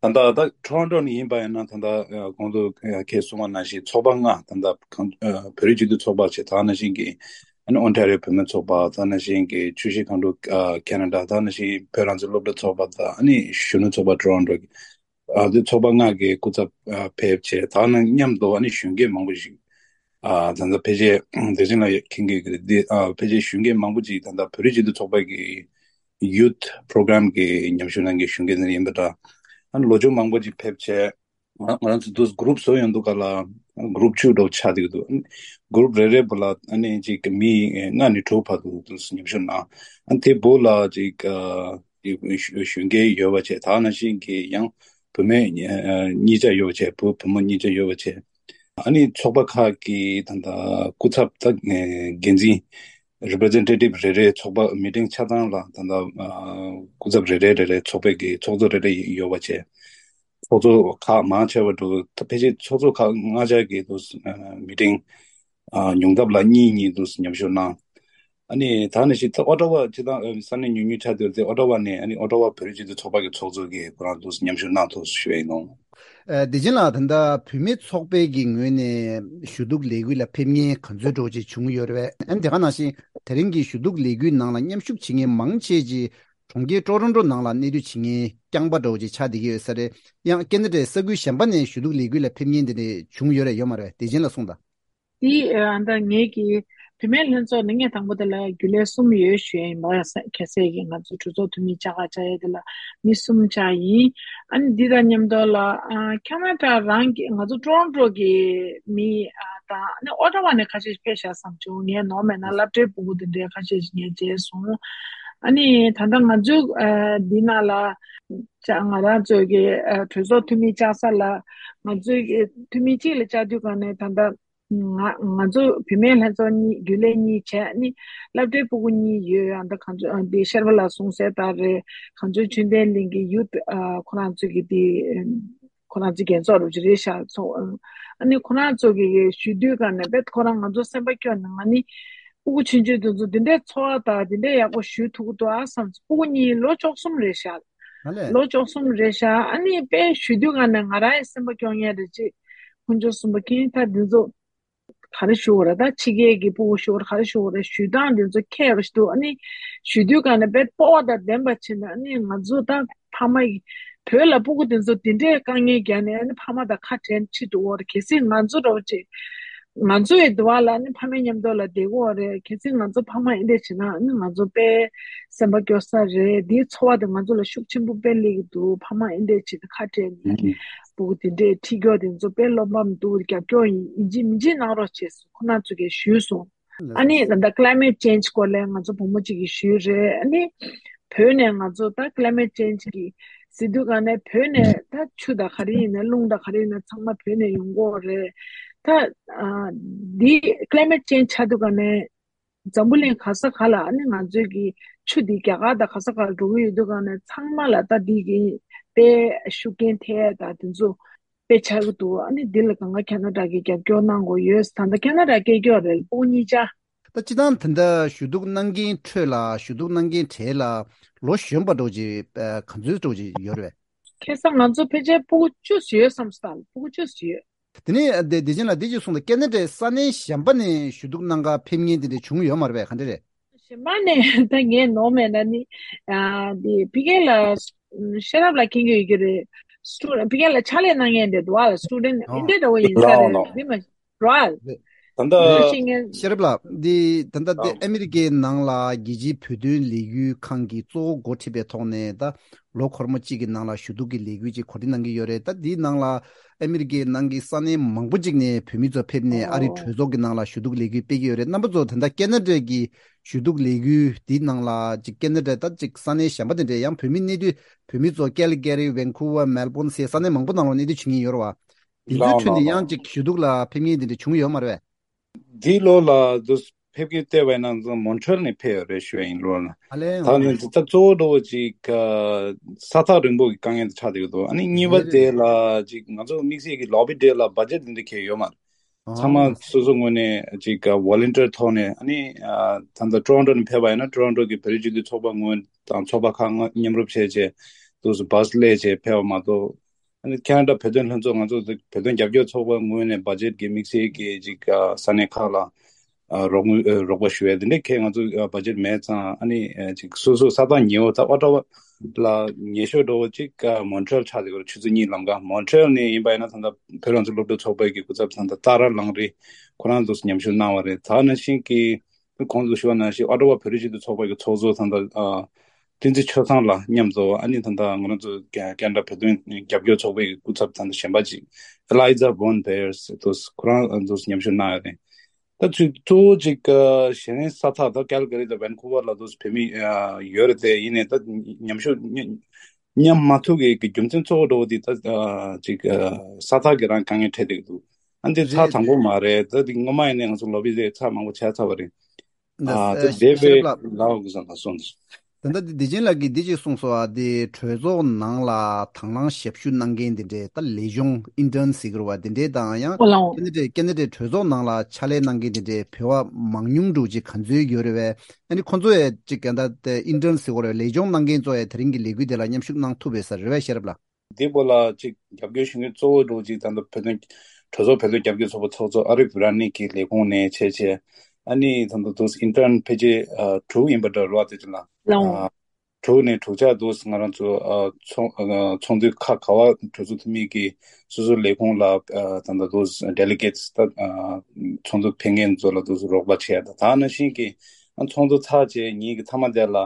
ད་ལྟ་ད་ཊོ་རོན་ཊོ་ནས་ཡིན་པ་ཡིན་ན་ད་ལྟ་ཨ་གོང་དུ་ཨ་ཁྱེད་གསུངས་པ་ནང་བཞིན་ཚོགས་པ་ལྔ། ད་ལྟ་གང་ཨ་བོད་རིགས་སྤྱི་མཐུན་ཚོགས་པ་བྱས། ད་ནང་བཞིན་གྱི་ཨ་ནི་ཨོན་ཊ་རི་ཡོ་བོད་མིའི་ཚོགས་པ། ད་ནང་བཞིན་གྱི་ཆུ་བཞི་སྒང་དྲུག་ཨ་ཁེ་ན་ཌ། ད་ནང་བཞིན་བོད་རང་བཙན་སློབ་ཕྲུག་ཚོགས་པ། ད་ཨ་ནི་གཞོན་ནུ་ཚོགས་པ་ཊོ་རོན་ཊོ་གི་ཨ་དེ་ཚོགས་པ་ལྔ་གི་སྐུ་ཚབ་ཨ་ཕེབས་བྱས། ད་ནང་མཉམ་དུ་ཨ་ནི་གཞོན་སྐྱེས་མང་པོ་ཞིག་ཨ་ད་ལྟ་ཕལ་ཆེར་བདེ་ཆེན་ལགས་མཁྱེན་གྱི་རེད། འདི་ཨ་ཕལ་ཆེར་གཞོན་སྐྱེས་མང་པོ་ཅིག་ད་ལྟ་བོད་རིགས་སྤྱི་མཐུན་ཚོགས་པ་གི་ཡུཐ་པོ་རོ་གྷི་རམ་གྱི་མཉམ་ཞུགས་གནང་མཁན་གཞོན་སྐྱེས་ནི་ཡིན་པ་འདྲ། ཨ་ནི་ལོ་ཆུང་མང་པོ་ཅིག་ཕེབས་བྱས། ང་ང་རང་ཚོ་དུས་གུ་རུབ་བཟོ་ཡོང་དུས་ག་ལ་གུ་རུབ་བཅུ་འདྲ་བོ་ཆགས་བསྡད་ཀྱི་འདུག་གུ་རུབ་རེ་རེ་པོ་ལ་ཨ་ནི་ཅིག་མི་ལྔ་ནས་དྲུག་བར་དུ་དུས་མཉམ་ཞུགས་གནང་། ཨ་ནི་དེ་བོད་ལ་ཅིག་ཨ་གཞོན་སྐྱེས་ཡོད་པ་བྱས། ད་ནང་བཞིན་གྱི་ཡང་བུད་མེད་གཉིས་ཆ་ཡོད་པ་བྱས། བུ་བུ་མོ་གཉིས་ཆ་ཡོད་པ་བྱས། ཨ་ནི་ཚོགས་པ་ཁག་གི་ད་ལྟ་སྐུ་ཚབ་དང་འགན་འཛིན་རི་པི་རི་ཛེན་ཊེ་ཊིབ་རེ་རེ། ཚོགས་པ་མི་ཊིང་ཆ་ཚང་ལ་ད་ལྟ་སྐུ་ཚབ་རེ་རེ་རེ་རེ། ཚོགས་པའི་གི་ཚོགས་གཙོ་རེ་རེ་ཡོད་པ་བྱས། ཚོགས་གཙོ་ཁག་མང་ཆེ་བ་འདུག་ད་ཕལ་ཆེར་ཚོགས་གཙོ་ཁག་ལྔ་ཆ་གི་འདུག་མི་ཊིང་ཉུང་མཐའ་ལ་གཉིས་གཉིས་འདུག་མཉམ་ཞུགས་གནང་། ཨ་ནི་ད་ནི་ཞིག་ད་ཨོ་ཊ་ཝ་སྤྱི་བཏང་ས་གནས་ཉུང་ཉུང་ཆགས་བསྡད་དེ། ཨོ་ཊ་ཝ་ནས་ཨ་ནི་ཨོ་ཊ་ཝ་བོད་རིགས་སྤྱི་མཐུན་ཚོགས་པ་གི་ཚོགས་གཙོ་གིས་ཁོ་རང་འདུག་མཉམ་ཞུགས་གནང་ཐུབ་ཞུ་ཡ་ཡིན་ནོ། ཨ་བདེ་ཆེན་ལགས། ད་ལྟ་བུད་མེད་ཚོགས་པའི་གི་ངོས་ནས་ཞུ་གཏུག་ལས་འགུལ་ལ་ཕེབས་མཁན་ག་ཚོད་འདྲ་བོ་ཅིག་བྱུང་ཡོད་རེད་པས། ཨ་ནི་དེ་ག་ནང་བཞིན་དེ་རིང་གི་ཞུ་གཏུག་ལས་འགུལ་ནང་ལ་མཉམ་ཞུགས་བྱེད་མཁན་མང་ཆེ་ཅིག་གྲོང་ཁྱེར་ཀྲོ་རོན་ཀྲོ་ནང་ལ་གནས་སྡོད་བྱེད་མཁན་རྐྱང་པ་འདྲ་བོ་ཅིག་ཆགས་བསྡད་ཀྱི་ཡོད་ས་རེད། ཡང་ཀེ་ན་ཌའི་ས་ཁུལ་གཞན་པ་ནས་ཞུ་གཏུག་ལས་འགུལ་ལ་ཕེབས་མཁན་དེ་འདྲ་བྱུང་ཡོད་རེད་ཡོད་མ་རེད། བདེ་ཆེན་ལགས་གསུངས་དང་། དེ་ཨ་ད་ངེད་ཀྱི་བུད་མེད་ལྷན་ཚོགས་ནི་ངས་དང་པོ་དེ་ལ་རྒྱུན་ལས་གསུམ་ཡོད་ཞུ་ཡ་ཡིན་པ། ཁ་སང་གི་ང་ཚོ་གྲོས་ཚོགས་འཐུས་མི་བཅའ་ག་བཅའ་ཡ་དེ་ལ་མི་གསུམ་བཅར་ཡིན། ཨ་ནི་འདི་དང་མཉམ་དུ་ལ་ཨ་ཁ་ན་ཌ་རང་གི་ང་ཚོ་ཀྲོ་རོན་ཀྲོ་གི་མི་ཨ་དང་ཨ་ནི་ཨོ་ཊ་ཝ་ནས་ཁ་ཤས་ཕེབས་ཤག་བསམ་བྱུང་། ངས་ནོར་མེད་ན་སློབ་གྲྭའི་ཕྲུ་གུ་དེ་འདྲའི་ཁ་ཤས་ཤིག་ངས་མཇལ་སོང་། ཨ་ནི་ད་ལྟ་ང་ཚོ་ཨ་འདི་ནང་ལ་ང་རང་ཚོ་གི་ཨ་གྲོས་ཚོགས་འཐུས་མི་བཅར་ས་ལ་ང་ཚོའི་འཐུས་མི་གཅིག་ལ་བཅར་དུས་ག་ནས་ད་ལྟ། ང་ང་ཚོ་བུད་མེད་ལྷན་ཚོགས་གཉིས་རྒྱུན་ལས་གཉིས་བྱས་ནི་སློབ་གྲྭའི་ཕྲུ་གུ་གཉིས་ཡོད། ཨ་ད་གངས་ལྗོངས་ཨ་འདི་ཤེར་བ་ལགས་གསུངས་གསལ་ལྟར་རེད། གངས་ལྗོངས་ཆོས་ལྡན་གླིང་གི་ཡུཐ་ཨ་ཁོ་རང་ཚོ་གི་འདི་ཁོ་རང་ཚོ་རྒྱལ་ཚོགས་རུ་ཅི་རེད་ཤག་ཚོགས། ཨ་ནི་ཁོ་རང་ཚོ་གི་ཞུ་དུས་ག་ནས་བེད་ཁོ་རང་ང་ཚོ་སེམས་པ་སྐྱོ་ནས་ང་ནི་ སྤུ་གུ་ཆུང་ཆུང་དེ་ཚོ་དེ་འདྲའི་འཚོ་བ་དང་དེ་འདྲའི་ཡག་པོ་ཞུ་ཐུབ་ཀྱི་འདུག་ཨ་བསམ་སོང་། སྤུ་གུ་གཉིས་ལོ་བཅུ་གསུམ་རེད་ཤག་ཨ་ལས། ལོ་བཅུ་གསུམ་རེད་ཤག་ཨ་ནི་དཔེ་ཞུ་དུས་ག་ནས་ང་རང་ཡང་སེམས་པ་སྐྱོ་ངེས་རེད་ཅེས། ཁོང་ཚོ་གསུམ་པོ་ཁྱེད་ད་འདི་ཚོ་ག་རེ་ཞུ་དགོས་རེད། ད་ཕྱི་རྒྱལ་གྱི་སྤུ་གུ་ཞུ་དགོས་རེད། ག་རེ་ཞུ་དགོས་རེད། ཞུ་སྟངས་འདི་ཚོ་ཁྱད་པར་ཞིག་འདུག་ཨ་ནི་ཞུ་དུས་ག་ནས་དཔེ་སྤོབས་པ་དང་ལྡན་པ་བྱས་ནས། ཨ་ནི་ང་ཚོ་ད་ཕ་མ་ཡི་བོད་ལ་སྤུ་གུ་དེ་ཚོ་དེ་འདྲའི་དཀའ་ངལ་བརྒྱབ་ནས། ཨ་ནི་ཕ་མ་དང་ཁ་བྲལ་ཁྲིད་འགྲོ་བ་རེད། གལ་སྲིད་ང་ཚོ་འདྲ་བོ་ཅིག་ང་ཚོ་ཡི་འདུག་བ་ལ་ནི་ཕ་མའི་མཉམ་དུ་ལ་བསྡད་དགོས་རེད། གལ་སྲིད་ང་ཚོ་ཕ་མ་ཨེ་འདྲས་བྱེད་ན་ནི་ང་ཚོ་དཔེ་སེམས་པ་སྐྱོ་ས་རེད། འདིའི་ཚོར་བ་དེ་ང་ཚོ་ལ་ཤུགས་ཆེན་པོ་དཔེ་སླེབས་ཀྱི་འདུག་ཕ་མ་ཨེ་འདྲས་བྱེད་ནས་ཁ་བྲལ་ནས་ཨུམ། སྤུ་གུ་དེ་འདྲས་ཁྲིད་རྒྱུ་དེ་ཚོ་དཔེ་བློ་ཕམ་འདུག་རྒྱབ་སྐྱོར་ཡིན་ཡིན་གཅིག་མིན་གཅིག་གནང་རོགས་བྱས་སོང་། ཁོ་ན་ཚོ་གིས་ཞུས་སོང་། ལགས་ཨ་ནི་སོ། ད་ལྟ་climate change སྐོར་ལ་ང་ཚོ་བུ་མོ་གཅིག་གིས་ཞུས་རེད། ཨ་ནི་བོད་ནས་ང་ཚོ་ད་climate change གི་ཟེར་དུས་ག་ནས་བོད་ནས་ད་ཆུ་དང་ག་རེ་ཡིན་ན་རླུང་དང་ག་རེ་ཡིན་ན་ཚང་མ་བོད་ནས་ཡོང་གི་ཡོད་རེད། ད་ཨ་འདི་climate change ཆགས་དུས་ག་ནས་འཛམ་བུ་གླིང་ག་ས་ག་ལ་ཨ་ནི་ང་ཚོའི་གི་ཆུ་འདི་རྒྱ་གར་དང་ག་ས་ག་ལ་འགྲོ་གི་ཡོད་དུས་ག་ནས་ཚང་མ་ལ་ད་འདི་གི་དཔེ་ཤུགས་རྐྱེན་ཐེབས་ཡ་ད་དེ་ཚོ་དཔེ་ཆགས་ཀྱི་འདུག་ཨ་ནི་འདི་ལ་གང་ག་ཁེ་ན་ཌ་གི་རྒྱབ་སྐྱོར་གནང་དགོས་ཡོད། ད་ལྟ་ཁེ་ན་ཌ་སྐད་སྐྱོར་རེད། སྤུ་གུ་གཉིས་ཆ། ད་སྤྱིར་བཏང་ད་ལྟ་ཞུ་གཏུག་གནང་མཁན་ཁྲོད་ལ་ཞུ་གཏུག་གནང་མཁན་གྲས་ལ་ལོ་གཞོན་པ་འདྲ་ཅིག་ཨ་ག་ཚོད་འདྲ་ཅིག་ཡོད་རེད་པས། ཁ་སང་ང་ཚོ་ཕལ་ཆེར་སྤུ་གུ་བཅུ་ཙམ་ཡོད་བསམ་སོང་། སྤུ་གུ་བཅུ་ཙམ་ཡོད། དེ་ནས་དེ་དེ་བཞིན་ལ་དེ་ཅིག་གསུངས་ཏེ། ཁེ་ན་ཌའི་ས་གནས་གཞན་པ་ནས་ཞུ་གཏུག་གནང་ག་ཕེབས་མཁན་དེ་འདྲ་བྱུང་ཡོད་མ་རེད་པས། ག་འདྲ་རེད། གཞན་པ་ནས་ད་ངས་ནོར་མེད་ན་ནི། ཨ་དེ་ཕ་གི་ལ་ཤེས་རབ་ལགས་མཁྱེན་གྱི་ཡོད་ཀྱི་རེད། སི་ཊུ་ཕ་གི་ལ་ཕྱག་ལས་གནང་མཁན་དེ་འདུག་ཨ། སི་ཊུ་ཌེན་ཊི་ཨེ་འདྲ་འདྲ་བོ་ཡིན་ས་རེད། ལའོ་ལའོ། དེ་མ་རོ་ཨལ། ད་ལྟ་ཤེས་མཁན། ཤེས་རབ་ལགས་འདི་ད་ལྟ་དེ་ཨ་མེ་རི་ཀའི་ནང་ལ་རྒྱལ་སྤྱིའི་བོད་དོན་ལས་འགུལ་ཁང་གིས་གཙོ་བོ་འགོ་ཁྲིད་པའི་ཐོག་ནས་ད་ལོ་འཁོར་མོ་གཅིག་གི་ནང་ལ་ཞུ་གཏུག་གི་ལས་འགུལ་ཅིག་གོ་སྒྲིག་གནང་གི་ཡོད་རེད། ད་འདིའི་ནང་ལ་ཨ་མེ་རི་ཀའི་ནང་གི་ས་གནས་མང་པོ་ཅིག་ནས་བོད་མི་ཚོ་ཕེབས་ནས་ཨ་རིའི་གྲོས་ཚོགས་ཀྱི་ནང་ལ་ཞུ་གཏུག་ལས་འགུལ་སྤེལ་གྱི་ཡོད་རེད། རྣམ་པ་ཚོ་ད་ལྟ་ཁེ་ན་ཌའི་གི་ཞུ་གཏུག་ལས་འགུལ་འདིའི་ནང་ལ་ཅིག་ཁེ་ན་ཌ་ད་ཅིག་ས་གནས་གཞན་པ་དེ་འདྲའི་ཡང་བོད་མི་གནས་སྡོད་བོད་མི་ཚོ་ཀལ་ཀ་རི་ཝན་ཀུ་ཝར་མེལ་བོན་ཟེར་ས་གནས་མང་པོ་ནང་ལ་གནས་སྡོད་བྱེད་མཁན་ཡོད་རེད་བ། དེ་ཚོའི་ལའོ་ཁྲོད་ནས་ཡང་ལའོ། ཅིག་ཞུ་གཏུག་ལ་ཕེབས་མཁན་དེ་འདྲ་བྱུང་ཡོད་མ་རེད་པས། འདི་ལོ་ལ་འདུག་ཕེབས་མཁན་བལྟས་པ་ཡིན་ན་ང་ཚོ་མོན་ཊི་རེལ་ནས་ཕེབས་ཡོད་རེད་ཞུ་ཡ་ཡིན། ལོ་ལ་ཨ་ལས། ད་ནི་འདི་ལྟ་གཙོ་བོ་འགྲོ་བ་ཅིག་ས་ཐག་རིང་པོ་གི་དཀའ་ངལ་དེ་ཆགས་བསྡད་ཀྱི་འདུག་ཨ་ནི་གཉིས་པ་རེད་དེ་རེད། ལ་ཅིག་ང་ཚོ་དམིགས་བསལ་གྱི་ལོ་བི་ཌེ་ལ་བ་ཇེ་ཊི་འདི་འདྲ་འཁེལ་ཡོད་མ་རེད། ཨ་ཚང་མ་སོ་སོ་ངོས་ནས་ཅིག་ཝོ་ལན་ཊི་ཡར་ཐོག་ནས། ཨ་ནི་ད་ལྟ་ཊོ་རོན་ཊོ་ནས་ཕེབས་པ་ཡིན་ན་ཊོ་རོན་ཊོ་གི་བོད་རིགས་སྤྱི་མཐུན་ཚོགས་པ་ངོས་དང་ཚོགས་པ་ཁག་མཉམ་རུབ་བྱས་བྱས་དུས་སུ་བ་སི་སླེབས་བྱས་ཕེབས་པ་མ་གཏོགས། ཨ་ནི་ཁེ་ན་ཌ་བོད་དོན་ལྷན་ཚོགས་ང་ཚོ་བོད་དོན་རྒྱབ་སྐྱོར་ཚོགས་པ་ངོས་ནས་བ་ཇེ་ཊི་གི་དམིགས་བསལ་གྱི་ཅིག་ས་གནས་ཁག་ལ་རོགས་དངུལ་རོགས་པ་ཞུ་ཡས་དེ་འདྲའི་གལ་ང་ཚོ་བ་ཇེ་ཊི་མེད་ཙང་། ཨ་ནི་ཅིག་སོ་སོ་ས་ཐག་ཉེ་བོ་ད་ཨོ་ཊ་ཝ་ལ་ཉེ་ཤོས་འགྲོ་བོ་ཅིག་མོན་ཊི་རེལ་ཆགས་བསྡད་ཡོད་རེད། ཆུ་ཚོད་གཉིས་ལམ་ཀ། མོན་ཊི་རེལ་ནས་ཡིན་པ་ཡིན་ན་ད་ལྟ་བོད་རང་བཙན་སློབ་ཕྲུག་ཚོགས་པའི་གི་སྐུ་ཚབ་ད་ལྟ་ཏཱ་ར་ལང་རི་ཁོ་རང་ཚོས་མཉམ་ཞུགས་གནང་བ་རེད། ད་ནང་བཞིན་གྱི་ཁོང་ཚོས་ཞུ་བ་ནང་བཞིན་ཨོ་ཊ་ཝ་བོད་རིགས་སྤྱི་མཐུན་ཚོགས་པ་གི་ཚོགས་གཙོ་ད་ལྟ་ཨ་བསྟན་འཛིན་ཆོས་བཟང་ལགས་མཉམ་དུ། ཨ་ནི་ད་ལྟ་ང་རང་ཚོ་ཁེ་ཁེ་ན་ཌ་བོད་དོན་རྒྱབ་སྐྱོར་ཚོགས་པའི་གི་སྐུ་ཚབ་ད་ལྟ་གཞན་པ་ཅིག་ཨེ་ལའི་ཛ་བོན་བེར་ཟེར་དུས་ཁོ་རང་ཚོས་མཉམ་ཞུགས་གནང་ཡོད་རེད། ད་ཚུལ་གཙོ་བོ་ཅིག་གཞན་ས་ཐག་ད་ཀལ་ཀ་རི་དང་ཝན་ཀུ་ཝར་ལ་དུས་བོད་མི་ཡོད་རེད་དེ། ཡིན་ནའི་ད་མཉམ་ཞུགས་མཉམ་མ་ཐུབ་ཀྱི་རྒྱུ་མཚན་གཙོ་བོ་འགྲོ་བ་དེ་ད་ཅིག་ས་ཐག་གི་རང་དཀའ་ངལ་འཕྲད་བསྡད་ཀྱི་འདུག་ཨ་འདི་ཚར་རེད། དང་པོ་མ་རེད། ད་འདི་སྔོན་མ་ཡིན་ནའི་ང་ཚོ་ལོ་བི་ཌེ་ཚར་མང་པོ་བྱས་ཚར་བ་རེད། ཨ་ད་ཨ་དེ་བས་ཤེས་རབ་ལགས། ལའོ་གི་ས་ལ་སོང་། ད་ལྟ་འདི་བདེ་ཆེན་ལགས་ཀྱིས་འདི་ཅིག་གསུངས་སོང་བ། དེ་གྲོས་ཚོགས་ནང་ལ་དང་བླངས་ཞབས་ཞུ་གནང་མཁན་དེ་འདྲས་ད་ལས་སྦྱོང་ཨིན་ཊརན་ཟེར་གྱི་རེད་བ། དེ་འདྲས་དང་ཡང་ཨོ་ལའོ། ཁེ་ན་ཌའི་ཁེ་ན་ཌའི་གྲོས་ཚོགས་ནང་ལ་ཕྱག་ལས་གནང་མཁན་དེ་འདྲས་བོད་པ་མང་ཉུང་འདྲ་ཅིག་ག་ཚོད་ཡོད་རེད་བས། ཨ་ནི་ཁོང་ཚོ་ཡས་ཅིག་ག་ད་ཨིན་ཊརན་ཟེར་གྱི་རེད་བ། ལས་སྦྱོང་གནང་མཁན་ཚོ་ཡས་དེ་རིང་གི་ལས་འགུལ་དེ་ལ་མཉམ་ཞུགས་གནང་ཐུབ་པས་ས་རེད་བས་ཤེས་རབ་ལགས། འདི་པོ་ལ་ཅིག་རྒྱབ་སྐྱོར་ཞུ་མཁན་གཙོ་བོ་འདྲ་ཅིག་ད་ལྟ་བོད་དོན་གྲོས་ཚོགས་བོད་དོན་རྒྱབ་སྐྱོར་ཚོགས་པ་ཚོགས་གཙོ་ཨ་རིབ་ར་ནི་གི་ལས་ཁུངས་ནས་བྱས་བྱས། ཨ་ནི་ད་ལྟ་དུས་ཨིན་ཊརན་ཕལ་ཆེར་ཨ་དྲུག་ཡིན་པ་འདྲ་རེད་བ། དེ་ཚོ་ལ་ལའོ། ཨ་དྲུག་ནས་དྲུག་ཆ་དུས་ང་རང་ཚོ་ཨ་ཚོགས་ཨ་ཚོགས་འདུ་ཁག་ག་བ་གྲོས་ཚོགས་འཐུས་མི་གིས་སོ་སོའི་ལས་ཁུངས་ལ་ཨ་ད་ལྟ་དུས་ཌེ་ལི་གེ་ཊི་ད་ཨ་ཚོགས་འདུ་ཕེབས་མཁན་ཚོ་ལ་དུས་རོགས་པ་བྱས། ད་ད་ནང་བཞིན་གྱི་ཨ་ཚོགས་འདུ་ཚར་རྗེས་ཉིན་གྱི་མཐའ་མ་དེ་ལ་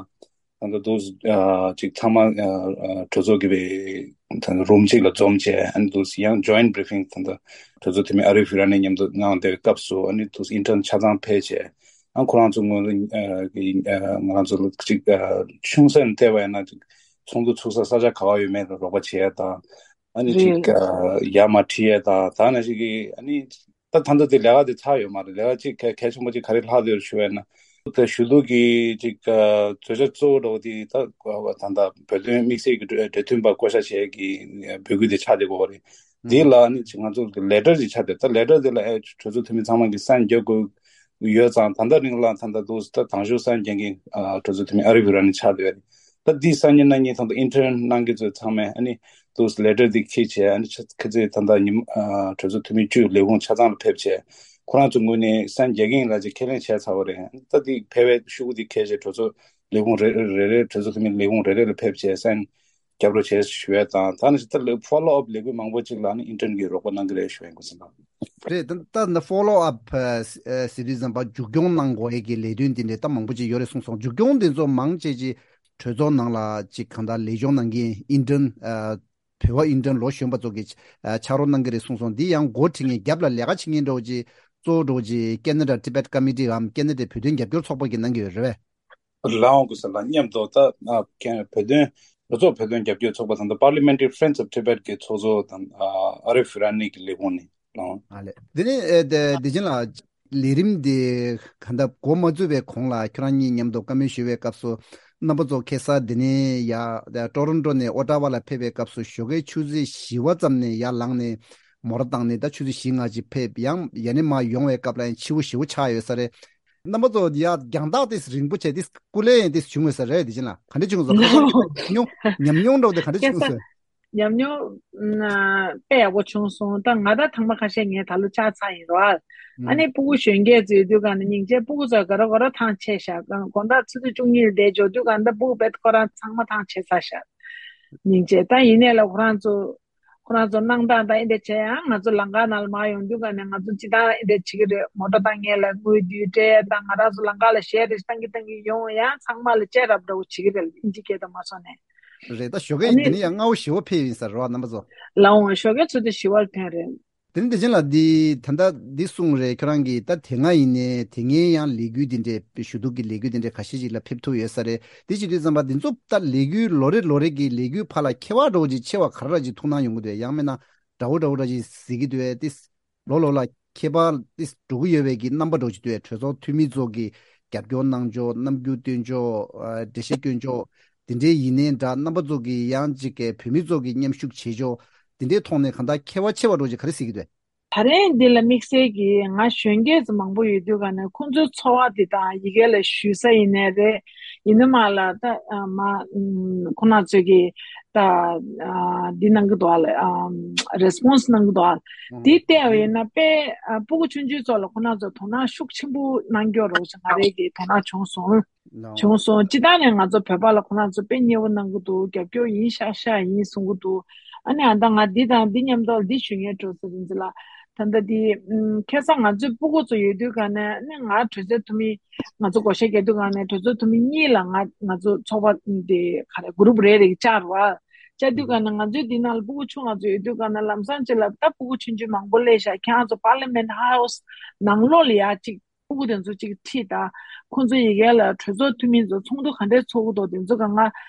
ད་ལྟ་དུས་ཨ་ཅིག་ཚང་མ་ཨ་ཨ་གྲོས་ཚོགས་ཀྱི་བའི་ད་ལྟ་རུམ་གཅིག་ལ་འཛོམས་བྱས། ཨ་ནི་དུས་ཡང་ཇོའིན་བྷི་རི་ཕིང་ད་ལྟ་གྲོས་ཚོགས་འཐུས་མི་ཨ་རི་ཧྥི་ར་ནི་མཉམ་དུ་གནང་བསྡད་པའི་སྐབས་སུ། ཨ་ནི་དུས་ཨིན་ཊརན་ཆ་ཚང་ཕེབས་བྱས། ཨ་ཁོ་རང་ཚོ་ངོས་ལ་ཨ་གི་ཨ་ང་རང་ཚོ་ལ་ཅིག་ཨ་ཆུང་ས་ནས་བལྟས་པ་ཡིན་ན་ཅིག་ཚོགས་འདུ་ཚུགས་ས་ས་ཆ་ག་བ་ཡོད་མེད་ལ་རོགས་པ་བྱེད་ཡ་དང་། ཨ་ནི་ཅིག་རེད། ཨ་ཡར་མར་ཁྲིད་ཡ་དང་། ད་ནང་བཞིན་གྱི་ཨ་ནི་ད་ད་ལྟ་དེ་ལས་ཀ་དེ་ཚར་ཡོད་མ་རེད། ལས་ཀ་ཅིག་གལ་གལ་ཆེན་པོ་ཅིག་ག་རེ་ལྷག་བསྡད་ཡོད་ཞུ་བས་ན། ད་ཞུ་གཏུག་གི་ཅིག་ཨ་བརྗོད་བྱ་གཙོ་བོ་འདྲ་བོ་དེ་ད་ད་ལྟ་བོད་དོན་དམིགས་བསལ་གྱི་འབྲེལ་འབྲེལ་མཐུད་པ་བསྐོ་བཞག་བྱེད་ཀྱི་འབོད་སྐུལ་དེ་ཆགས་བསྡད་ཡོད་རེད། དེ་ལ་ནི་ཅིག་ང་ཚོ་ལེ་ཊར་ཅིག་ཆགས་བསྡད། ད་ལེ་ཊར་དེ་ལ་ཨེ་གྲོས་ཚོགས་འཐུས་མི་ཚང་མ་གིས་སའིན་རྒྱག་དགོས། ཡོད་ཙང་། ད་ལྟ་རིང་ལ་ད་ལྟ་འདུག་ད་དང་ཤོས་གསར་འགོད་མཁན་གྱི་ཨ་གྲོས་ཚོགས་འཐུས་མི་ཨ་རི་བྷི་ར་ནི་ཆགས་བསྡད་ཡོད་རེད། ད་འདི་སང་ཉིན་གནངས་ཉིན་ད་ལྟ་ཨིན་ཊརན་གནང་མཁན་ཚོ་ཚང་མས་ཨ་ནི་འདུག་ལེ་ཊར་འདི་འཁྱེར་བྱས། ཨ་ནི་ཆ་ཁ་ཚིག་ད་ལྟ་ཉིན་ཨ་གྲོས་ཚོགས་འཐུས་མི་བཅུ་ལས་ཁུངས་ཆ་ཚང་ལ་ཕེབས་བྱས། ཁོ་རང་ཚོའི་ངོས་ནས་གསར་འགོད་མཁན་ལ་ཅིག་ཁས་ལེན་བྱས་ཚར་བ་རེད། ད་འདི་ཕེབས་པའི་ཤོག་གུ་འདི་འཁྱེར་བྱས་གྲོས་ཚོགས་ལས་ཁུངས་རེ་རེ་རེ་རེ་གྲོས་ཚོགས་འཐུས་མི་ལས་ཁུངས་རེ་རེ་ལ་ཕེབས་བྱས་གསར་རྒྱབ་རོགས་བྱས་ཞུ་ཡས་དང་། ད་ནི་ད་ལྟ་ཕོ་ལོ་ཨབ་ལས་འགུལ་མང་པོ་ཅིག་ལ་ནི་ཨིན་ཊརན་གྱིས་རོགས་པ་གནང་གི་རེད་ཞུ་ཡས་འགོ་ཚུགས་དང་། རེད། ད་ལྟ་ཕོ་ལོ་ཨབ་ཟེར་དུས་ཙམ་པ་མཇུག་སྐྱོང་གནང་དགོས་ཡས་ཀྱི་ལས་དོན་འདི་འདྲས་ད་མང་པོ་ཅིག་ཡོད་རེད་གསུངས་སོང་། མཇུག་སྐྱོང་འདི་ཚོ་མང་ཆེ་ཅིག་གྲོས་ཚོགས་ནང་ལ་ཅིག་གང་ལྟར་ལས་སྦྱོང་གནང་མཁན་ཨིན་ཊརན་བོད་པ་ཨིན་ཊརན་ལོ་གཞོན་པ་ཚོ་གིས་ཕྱག་རོགས་གནང་གི་རེད་གསུངས་སོང་། འདི་ཡང་འགོ་ཁྲིད་མཁན་རྒྱབ་ལ་ལས་ཀ་བྱེད་མཁན་འདྲ་བོ་ཅིག་གཙོ་བོ་འདྲ་བོ་ཅིག་ཀེ་ན་ཌ་ཊི་བེཊ་ཀོ་མི་ཊི་འམ་ཀེ་ན་ཌའི་བོད་དོན་རྒྱབ་སྐྱོར་ཚོགས་པ་གིས་གནང་གི་ཡོད་རེད་པས། ལའོ་ཀུ་སི་ལ་མཉམ་དུ་ད་ཨ་ཀན་བོད་དོན་གྲོས་ཚོགས་བོད་དོན་རྒྱབ་སྐྱོར་ཚོགས་པ་དང་། ད་Parliamentary Friends of Tibet གི་ཚོགས་གཙོ་དང་ཨ་ཨ་རི་ཧྥི་ར་ནི་གི་ལས་ཁུངས་ནས་ལའོ། ཨ་ལས། དེ་ནས་ཨེ་དེ་དེ་བཞིན་ལ་ལས་རིམ་དེ་ག་འདྲ་འགོ་མ་བཙུགས་པའི་གོང་ལ་ཁྱོད་རང་གཉིས་མཉམ་དུ་བཀའ་མོལ་ཞུ་བའི་སྐབས་སུ་རྣམ་པ་ཚོ་ཁ་སང་དེ་ནས་ཡ་ཊོ་རོན་ཊོ་ནས་ཨོ་ཊ་ཝ་ལ་ཕེབས་པའི་སྐབས་སུ་ཞོགས་ཀའི་ཆུ་ཚོད་བཞི་པ་ཙམ་ནས་ཡར་ལངས་ནས་མོ་ཊ་བཏང་ནས་ད་ཆུ་ཚོད་བཞི་ལྔ་ཅིག་ཕེབས། ཡང་ཡ་ནས་མར་ཡོང་བའི་སྐབས་ལ་ཡང་ཕྱི་པོ་ཞེ་པོ་ཆགས་ཡོད་ས་རེད། རྣམ་པ་ཚོ་ཡ་རྒྱང་ཐག་དེ་རིང་པོ་བྱས་དེ་སྐུ་ལས་དེ་བྱུང་ཡོད་ས་རེད། དེ་བཞིན་ལ་ག་འདྲ་བྱུང་སོང་། ཉམས་མྱོང་ཉམས་མྱོང་འདྲ་བོ་དེ་ག་འདྲ་བྱུང་སོང་། ཉམས་མྱོང་ཨ་དཔེ་ཡག་པོ་བྱུང་སོང་། ད་ང་ད་ཐེངས་མ་ཁ་ཤས་ངས་ད་ལོ་ཆགས་ཚར་ཡིན་རོ། ཨ་ཨ་ནི་ཕྲུ་གུ་གཞོན་སྐྱེས་ཚོ་ཡོད་དུས་ག་ནས་སྙིང་རྗེ། ཕྲུ་གུ་ཚོ་ག་རེ་ག་རེ་ཐང་ཆད་ཤག་དགོང་དག་ཆུ་ཚོད་བཅུ་གཉིས་ལ་བསྡད་འཇོག་དུས་ག་ནས་ད་ཕྲུ་གུ་དཔེ་ཁོ་རང་ཚང་མ་ཐང་ཆད་ཚར་ཤག་སྙིང་རྗེ། ད་ཡིན་ནའི་ལ་ཁོ་རང་ཚོ་ཁོ་རང་ཚོ་གནང་སྟངས་དང་ཨེ་འདྲ་བྱས། ཡང་ང་ཚོ་ལམ་ཁ་ནང་ལ་མར་ཡོང་དུས་ག་ནས་ང་ཚོ་སྤྱིར་བཏང་ཨེ་འདྲ་བྱེད་ཀྱི་རེད། མོ་ཊ་བཏང་མཁན་ལ་དངུལ་བསྡུས་སྤྲད་དང་། ང་རང་ཚོ་ལམ་ཁ་ལ་གཞས་རེ་བཏང་གི་བཏང་གི་ཡོང་། ཡང་ཚང་མ་ལ་སྤྲད་རབས་འདྲ་བོ་བྱེད་ཀྱི་རེད། ཨིན་ཇི་སྐད་དུ་མ་སོང་ནས། རེད། ད་ཞོགས་ཨ་ཀས་ནི་དེ་ནས་ཡང་སྔ་པོ་ཞེ་པོ་ཕེབས་ཡིན་ས་རེད་བ། རྣམ་པ་ཚོ། ལའོ་ཞོགས་ཀས་ཆུ་ཚོད་བཞི་པར་ཐོན་རེད། དེ་ནི་དེ་བཞིན་ལ་འདི་ད་ལྟ་འདི་གསུངས་རེད། ཁྱོད་རང་གིས་ད་དེ་སྔ་ཡིན་ནའི་དེ་སྔའི་ཡང་ལས་འགུལ་འདི་འདྲའི་ཞུ་གཏུག་གི་ལས་འགུལ་འདི་འདྲའི་ཁ་ཤས་ཤིག་ལ་ཕེབས་ཐུབ་ཡོད་ས་རེད། དེ་བྱེད་དུས་ཙམ་པ་འདི་ཚོ་ད་ལས་འགུལ་ལོ་རེ་ལོ་རེ་གི་ལས་འགུལ་བར་ལ་ཁྱད་པར་འདྲ་བོ་ཅིག་ཆེ་བ་ག་རེ་ར་ཅིག་ཐུགས་སྣང་ཡོང་གི་འདུག་ཡང་མིན་ན་འདྲ་བོ་འདྲ་བོ་ར་ཅིག་གཟིགས་ཀྱི་འདུག་ཨེ། ཏིས་ལོ་ལོ་ལ་ཁྱད་པར་ཏིས་འགྲོ་གི་ཡོད་པའི་གི་རྣམ་པ་འདྲ་བོ་ཅིག་འདུག་ཨེ། གྲོས་ཚོགས་འཐུས་མི་ཚོ་གི་རྒྱབ་སྐྱོར་གནང་ཕྱོགས། རྣམ་འགྱུར་སྟོན་ཕྱོགས། ཨ་འགྲེལ་བཤད་སྐྱོན་ཕྱོགས། དེ་འདྲའི་ཡིན་ནའི་འདྲ། རྣམ་པ་ཚོ་གི་ཡང་ཅིག་གི་བོད་མི་ཚོ་གི་མཉམ་ཞུགས་བྱེད་ཕྱོགས། དེ་འདྲའི་ཐོག་ནས་གང་ལྟར་ཁྱད་པར་ཆེ་བ་འདྲ་བོ་ཅིག་ག་རེ་གཟིགས་ཀྱི་འདུག་ད་རེས་འདི་ལ་དམིགས་བསལ་གྱིས་ང་གཞོན་སྐྱེས་ཚོ་མང་པོ་ཡོད་དུས་ག་ནས་ཁོང་ཚོའི་ཚོར་བ་དེ་དང་ཡི་གེ་ལ་ཞུ་ས་ཡིན་ནའི་རེད། ཡིན་ནའི་མ་ལ་ད་ཨ་མ་ཨམ་ཁོང་རྣམ་ཚོས་ཀྱིས་ད་ཨ་འདི་གནང་གི་འདུག་ཨ་ལ། ཨམ་རེ་སི་པོན་སི་གནང་གི་འདུག་ཨ། ཨང་། འདི་བལྟས་པ་ཡིན་ན་དཔེ་ཨ་སྤུ་གུ་ཆུང་ཆུང་ཚོ་ལ་ཁོང་རྣམ་ཚོས་དོ་སྣང་ཤུགས་ཆེན་པོ་གནང་ཀྱོག་རོགས་ཞེས་ང་རའི་གི་དོ་སྣང་བྱུང་སོང་། ལའོ། བྱུང་སོང་། སྤྱིར་བཏང་ནས་ང་ཚོ་བོད་པ་ལ་ཁོ་རང་ཚོ་དཔེ་མཉེས་པོ་གནང་གི་འདུག་རྒྱབ་སྐྱོར་ཡིན་ཤག་ཤག་ཡིན་གསུང་གི་འདུག་ཨ་ནི་ཨ་ད་ང་འདི་དང་འདི་མཉམ་དུ་འདི་ཞུ་ངེས་འགྲོ་ཟེར་རིན་ཚེ་ལ། ད་ལྟ་འདི་ཨུམ་ཁ་སང་ང་ཚོའི་སྤུ་གུ་ཚོ་ཡོད་དུས་ག་ནས་ཨ་ནི་ང་གྲོས་ཚོགས་འཐུས་མི་ང་ཚོ་བགོ་བཤའ་རྒྱག་དུས་ག་ནས་གྲོས་ཚོགས་འཐུས་མི་གཉིས་ལ་ང་ང་ཚོ་ཚོགས་པ་འདི་ག་རེ་གུ་རུབ་རེ་རེ་བཅར་བ། བཅར་དུས་ག་ནས་ང་ཚོའི་འདི་ནང་ལ་སྤུ་གུ་ཆུང་ང་ཚོ་ཡོད་དུས་ག་ནས་ལམ་སང་ཅིག་ལ་ད་སྤུ་གུ་ཆུང་ཆུང་མང་པོ་སླེབས་ཤག་ཁྱེད་རང་ཚོ་པར་ལི་མེན་ཊི་ཧའུ་སི་ནང་ལོགས་ལ་ཡ་ཅིག་སྤུ་གུ་དེ་ཚོ་གཅིག་ཁྲིད་དང་། ཁོང་ཚོ་ཡི་གེ་ལ་གྲོས་ཚོགས་འཐུས་མི་ཚོ་ཚོགས་འདུ་ག་འདྲས་ཚོགས་ཀྱི་འདུག་དེ་ཚོ་ག་ང་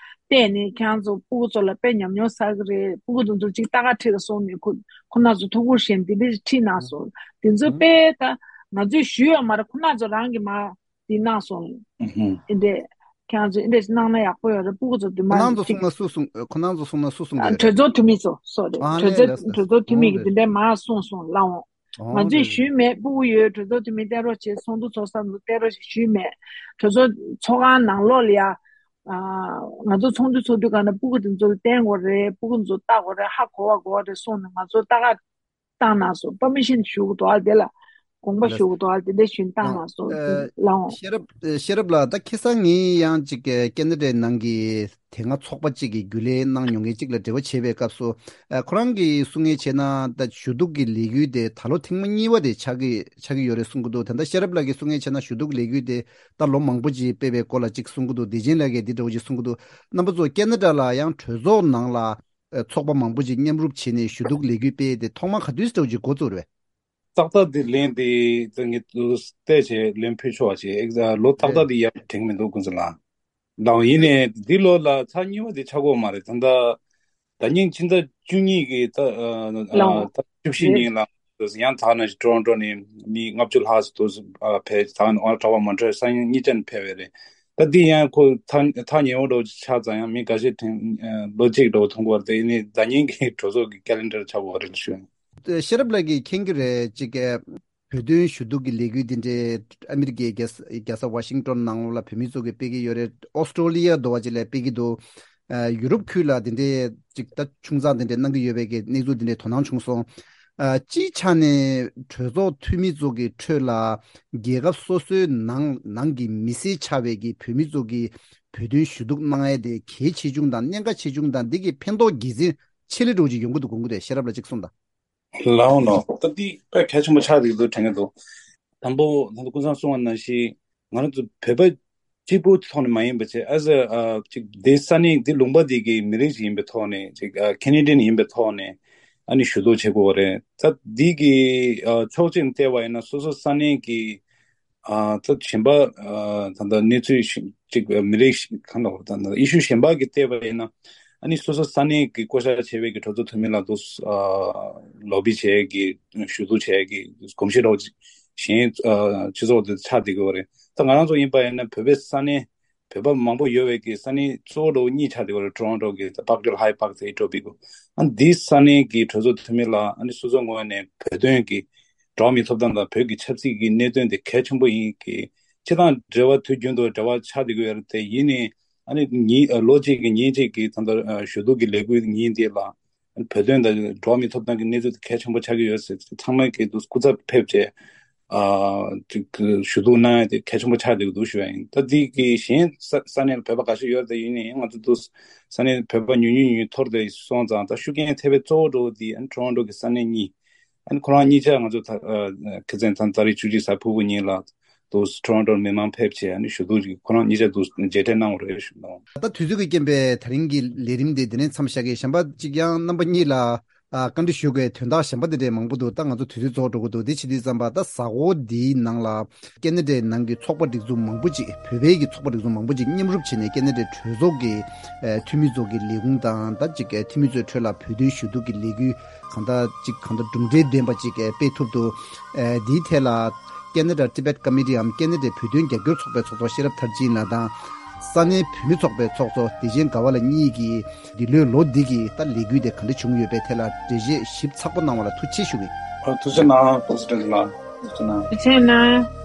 བལྟས་ནས་ཁྱེད་རང་ཚོ་སྤུ་གུ་ཚོ་ལ་དཔེ་ཉམས་མྱོང་བསགས་ཀྱི་རེད། སྤུ་གུ་དེ་ཚོ་གཅིག་ལྟ་ག་ཁྲིད་ལ་སོང་ནས་ཁོ་ཁོ་རྣམ་ཚོ་ཐུགས་ཁུར་བཞེས་འདི་འདྲས་ཁྲིད་གནང་སོང་། དེ་ཚོ་དཔེ་ད་ང་ཚོས་ཞུས་ཡོད་མ་རེད། ཁོ་རྣམ་ཚོ་རང་གིས་མར་འདི་གནང་སོང་། ཨུ་ཧུ། འདི་འདྲས་ཁྱེད་རང་ཚོ་འདི་འདྲས་གནང་ན་ཡག་པོ་ཡོད་རེད། སྤུ་གུ་ཚོ་འདི་ཁོ་མར་རྣམ་ཚོ་གཅིག་གསུངས་ན་སུ་གསུངས། ཁོ་རྣམ་ཚོ་གསུངས་ན་སུ་གསུངས་ཀྱི་ཨ་རེད། གྲོས་ཚོགས་འཐུས་མི་ཚོ་སོ་རེད། ཨ་གྲོས་ལས་ཚོགས་ལས་སོ། གྲོས་ཚོགས་འཐུས་མི་གིས་འདི་འདྲས་མར་གསུངས་སོང་ལབ་འོང་། ང་ཚོས་ཞུས་མེད། སྤུ་གུ་ཡོད། གྲོས་ཚོགས་འཐུས་མི་བསྟན་རོགས་བྱེད། ཚོགས་འདུ་ཚོགས་ས་ཚོ་བསྟན་རོགས་བྱེད་ཞུས་མེད། གྲོས་ཚོགས་ཚོགས་ཁང་ནང་ལོགས་ལ་ཡ། ཨ། ང་ཚོ་ཚོགས་འདུ་ཚོགས་དུས་ག་ནས་སྤུ་གུ་དེ་ཚོ་ལ་བསྟན་དགོས་རེད། སྤུ་གུ་ཚོ་ལྟ་དགོས་རེད། ཧ་གོ་བ་གོ་བ་རེད་གསུངས་ནས་ང་ཚོ་ལྟ་ག་བཏང་གནང་སོང་། པར་མི་ཤན་ཞུ་དགོས་འདུག་ཨ། དེ་ལ་དགོངས་པ་ཞུ་དགོས་འདུག་ཨ། དེ་འདྲ་ཞུས་བཏང་གནང་སོང་། ལའོ། ཤེས་རབ། ཤེས་རབ་ལགས། ད་ཁ་སང་ངས་ཡང་ཅིག་ཀེ་ན་ཌའི་ནང་གི་དེ་སྔ་ཚོགས་པ་གཅིག་གི་རྒྱུན་ལས་གནང་མྱོང་མཁན་གཅིག་ལ་འབྲེལ་བ་བྱས་པའི་སྐབས་སུ། ཨ། ཁོ་རང་གིས་གསུང་མཁན་བྱས་ན་ད་ཞུ་གཏུག་གི་ལས་འགུལ་དེ་ད་ལོ་ཐེངས་མ་གཉིས་པ་དེ་ཆགས་ཀྱི་ཆགས་ཀྱི་ཡོད་རེད་གསུང་གི་འདུག་ད་ལྟ་ཤེས་རབ་ལགས་ཀྱིས་གསུང་མཁན་བྱས་ན་ཞུ་གཏུག་ལས་འགུལ་དེ་ད་ལོ་མང་པོ་ཅིག་སྤེལ་བའི་སྐོར་ལ་ཅིག་གསུང་གི་འདུག་བདེ་ཆེན་ལགས་ཀྱིས་འདི་འདྲ་བོ་ཅིག་གསུང་གི་འདུག་རྣམ་པ་ཚོ་ཀེ་ན་ཌ་ལ་ཡང་གྲོས་ཚོགས་ནང་ལ་ཨ་ཚོགས་པ་མང་པོ་ཅིག་མཉམ་རུབ་བྱས་ནས་ཞུ་གཏུག་ལས་འགུལ་སྤེལ་དེ་ཐོག་མ་ག་དུས་འདྲ་བོ་ཅིག་འགོ་བཙུགས་རེད། ཏག་ཏག་འདི་ལན་དེ་ད་ངས་བལྟས་བྱས་ལན་ཕུལ་ཆོག་པ་བྱས། ཨེག་ལོ་ཏག་ཏག་འདི་ཡར་དྲན་གྱི་མི་འདུག་ཀུན་བཟང་ལགས། ལའོ། ཡིན་ནའི་འདི་ལོ་ལ་ཚར་གཉིས་པ་འདི་ཆགས་ཀྱི་ཡོད་མ་རེད། ད་ལྟ་ཟླ་ཉིན་ཕྱི་ཟླ་བཅུ་གཉིས་ཀྱི་ད་ཨ་ཨ་ད་བཅུ་བཞི་ཉིན་ལ་ཡང་དག་ན་ཊོ་རོན་ཊོ་ནས་མི་ལྔ་བཅུ་ལྷག་ཙམ་འདུག་ཨ་ཕེབས། ད་ཨོ་ཊ་ཝ་མོན་ཊི་རི་ཡལ་སང་ཉིན་གཉིས་ཆ་ནས་ཕེབས་པ་རེད། ད་འདི་ཡང་ཁོ་ཐག་ཐག་ཉེ་བོ་འདྲ་བོ་ཆགས་ཙང་ཡང་མི་འགའ་ཤས་དྲན་ལོ་གཅིག་འདྲ་བོ་མཐོང་གི་ཡོད་རེད། དེ་ཡིན་ནའི་ཟླ་ཉིན་གྱི་གྲོས་ཚོགས་ཀྱི་ཀེ་ལེན་ཌར་ཆགས་ཀྱི་ཡོད་རེད་ཞུ། ཤེས་རབ་ལགས་ཀྱིས་མཁྱེན་གྱི་རེད། ཅིག་གི་ བོད་དོན་ཞུ་གཏུག་གི་ལས་འགུལ་འདི་འདྲའི་ཨ་མི་རི་ཀའི་རྒྱལ་ས་རྒྱལ་ས་ཝ་ཤིང་ཏོན་ནང་ལ་བོད་མི་ཚོ་གིས་སྤེལ་གྱི་ཡོད་རེད། ཨོ་སི་ཀྲོ་ལི་ཡ་དོ་བ་ཅིག་ལ་སྤེལ་གྱི་འདུག་ཨ། ཡུ་རོབ་ཁུལ་ལ་འདི་འདྲའི་ཅིག་ད་ཆུང་ཙག་འདི་འདྲའི་གནང་གི་ཡོད་པའི་གི་གནས་ཚུལ་འདི་འདྲའི་དོ་སྣང་བྱུང་སོང་། ཨ། སྤྱིའི་ཆ་ནས་གྲོས་ཚོགས་འཐུས་མི་ཚོ་གི་ཁྲོད་ལ་རྒྱལ་ཁབ་སོ་སོའི་ནང་ནང་གི་མི་སེར་ཆགས་པའི་གི་བོད་མི་ཚོ་གི་བོད་དོན་ཞུ་གཏུག་གནང་ཡས་དེ་གལ་ཆེ་ཆུང་དང་གནད་འགག་ཆེ་ཆུང་དང་། འདི་གི་ཕན་ཐོགས་དགེ་མཚན་ཆེ་ལེ་འགྲོ་ཅིག་ཡོང་གི་འདུག་དགོངས་ཀྱི་རེད། ཤེས་རབ་ལ་གཅིག་གསུངས་དང་། ལའོ་ནོ། ད་འདི་དཔེ་གལ་ཆེན་པོ་ཆགས་ཀྱི་འདུག་དྲན་གྱི་འདུག་དང་པོ་ད་ལྟ་ཀུན་བཟང་གསུངས་པ་ནང་བཞིན། ང་རང་ཚོ་བོད་པ་གཅིག་པུའི་ཐོག་ནས་མ་ཡིན་པ་བྱས། as a ཅིག་འདི་ས་གནས་འདི་ལུང་པ་འདི་གི་མི་རིགས་ཤིག་ཡིན་པའི་ཐོག་ནས། ཅིག་ཁེ་ནེ་ཌི་ཡན་ཡིན་པའི་ཐོག་ནས་ཨ་ནི་ཞུ་གཏུག་བྱེད་དགོས་པ་རེད། ད་འདི་གི་ཕྱོགས་གཅིག་ནས་བལྟས་པ་ཡིན་ན། སོ་སོ་ས་གནས་ཀྱི་ད་གཞན་པ་ད་ལྟ་གནས་ཚུལ་ཅིག་མི་རིགས་ཤིག་གང་ལ་ད་ལྟ་ཨི་ཤུ་གཞན་པ་གི་བལྟས་པ་ཡིན་ན། ཨ་ནི་སོ་སོ་ས་གནས་ཀྱི་བསྐོ་བཞག་བྱས་པའི་གི་གྲོས་ཚོགས་འཐུས་མི་ལ་དུ་ལོ་བི་བྱས་ཀྱི་ཞུ་གཏུག་བྱས་ཀྱི་གོམས་གཤིས་འདྲ་བོ་གཞན་སྤྱི་ཚོགས་དེ་ཆགས་བསྡད་ཀྱི་ཡོད་རེད། ད་ང་རང་ཚོ་ཡིན་པ་ཡིན་ན་བོད་པའི་ས་གནས། བོད་པ་མང་པོ་ཡོད་པའི་གི་ས་གནས་གཙོ་བོ་འདྲ་བོ་གཉིས་ཆགས་བསྡད་ཀྱི་ཡོད་རེད། ཊོ་རོན་ཊོ་གི་ད་Parkdale High Park དེ་ཡིན་འགྲོ་བའི་གི། ཨ་འདི་ས་གནས་ཀྱི་གྲོས་ཚོགས་འཐུས་མི་ལ་ཨ་ནི་སོ་སོའི་ངོས་ནས་བོད་དོན་གྱི་འགྲོ་བ་མིའི་ཐོབ་ཐང་དང་བོད་ཀྱི་ཆབ་སྲིད་ཀྱི་གནད་དོན་དེ་གལ་ཆེན་པོ་ཡིན་གྱི། སྤྱི་དང་འབྲེལ་བ་དུས་རྒྱུན་དུ་འབྲེལ་བ་ཆགས་བསྡད་ཀྱི་ཡོད་རེད། དེ་ཡིན་ནའི་ཨ་ནི་ཉིན་ལོ་གཅིག་གི་ཉིན་གཅིག་གི་ད་ལྟ་ཞུ་གཏུག་གི་ལས་འགུལ་ཉིན་དེ་ལ་བོད་དོན་དང་འགྲོ་བ་མིའི་ཐོབ་ཐང་གི་གནས་ཚུལ་དེ་གལ་ཆེན་པོ་ཆགས་ཀྱི་ཡོད་ཟེར། ཚང་མས་ཀྱི་འདུག་སྐུ་ཚབ་ཕེབས་བྱས། ཨ་ཅིག་ཞུ་གཏུག་གནང་ཡ་དེ་གལ་ཆེན་པོ་ཆགས་བསྡད་ཀྱི་འདུག་ཞུ་ཡ་ཡིན། ད་འདི་གི་གཞན་ས་ས་གནས་ལ་བོད་པ་ག་ཚོད་ཡོད་དེ་ཡིན་ནའི་ང་ཚོ་འདུག་ས་གནས་བོད་པ་ཉུང་ཉུང་ཉུང་ཐོར་དེ་སོང་ཙང་། ད་ཤུགས་རྐྱེན་ཐེབས་པའི་གཙོ་བོ་འདྲ་བོ་དེ་ཨ་ནི་ཊོ་རོན་ཊོ་གི་ས་གནས་གཉིས། ཨ་ནི་ཁོ་རང་གཉིས་ཆ་ང་ཚོ་ད་ཁ་སང་ད་ཏ་རིག་བཅུ་གཅིག་གཟའ་ཕུར་བུ་ཉིན་ལ་དུ་ཊོ་རོན་ཊོར་མི་མང་ཕེབས་བྱས། ཨ་ནི་ཞུ་གཏུག་ཅིག་ཁོ་རང་གཉིས་ཆ་དུ་མཇལ་འཕྲད་གནང་བ་རེད་ཞུ་གནང་། ད་དུས་ཚོད་ཀྱི་རྐྱེན་པས་ད་རིང་གི་ལས་རིམ་དེ་འདི་ནས་མཚམས་བཞག་གི། གཞན་པ་གཅིག་ཡང་རྣམ་པ་གཉིས་ལ་ཨ་བཀའ་འདྲི་ཞུ་དགོས་དོན་དག་གཞན་པ་འདི་འདྲའི་མང་པོ་འདུག་ད་ང་ཚོ་དུས་ཚོད་རྫོགས་འགྲོ་གི་འདུག་དེ་བྱེད་དུས་ཙམ་པ། ད་གཟའ་འཁོར་འདིའི་ནང་ལ་ཁེ་ན་ཌའི་ནང་གི་ཚོགས་པ་སྒྲིག་འཛུགས་མང་པོ་ཅིག་བོད་པའི་གི་ཚོགས་པ་སྒྲིག་འཛུགས་མང་པོ་ཅིག་མཉམ་རུབ་བྱས་ནས་ཁེ་ན་ཌའི་གྲོས་ཚོགས་ཀྱི་ཨ་འཐུས་མི་ཚོ་གི་ལས་ཁུངས་དང་། ད་ཅིག་འཐུས་མི་ཚོའི་ཁྲོད་ལ་བོད་དོན་ཞུ་གཏུག་གི་ལས་འགུལ་གང་ལྟར་ཅིག་གང་ལྟར་གྲུབ་འབྲས་ལྡན་པ་ཅིག་སྤེལ་ཐུབ་འདུག་ཨ་འདིའི་ཐད་ལ་ཁེ་ན་ཌ་ཊི་བེཊ་ཀོ་མི་ཊི་འམ་ཁེ་ན་ཌའི་བོད་དོན་རྒྱབ་སྐྱོར་ཚོགས་པའི་ཚོགས་གཙོ་ཤེས་རབ་མཐར་ཕྱིན་ལགས་དང་། ས་གནས་བོད་མི་ཚོགས་པའི་ཚོགས་གཙོ་བདེ་ཆེན་དགའ་བ་ལགས་གཉིས་ཀྱིས་འདི་ལོའི་ལོ་འདི་གི་ད་ལས་འགུལ་དེ་ག་འདྲ་བྱུང་ཡོད་པའི་ཐད་ལ་འགྲེལ་བཤད་ཞིབ་ཚགས་པོ་གནང་བ་ལ་ཐུགས་རྗེ་ཆེ་ཞུ་གི། ཨ། ཐུགས་རྗེ་གནང་བསྟན་འཛིན་ལགས། ཐུགས་རྗེ་གནང་། ཐུགས་རྗེ་གནང་།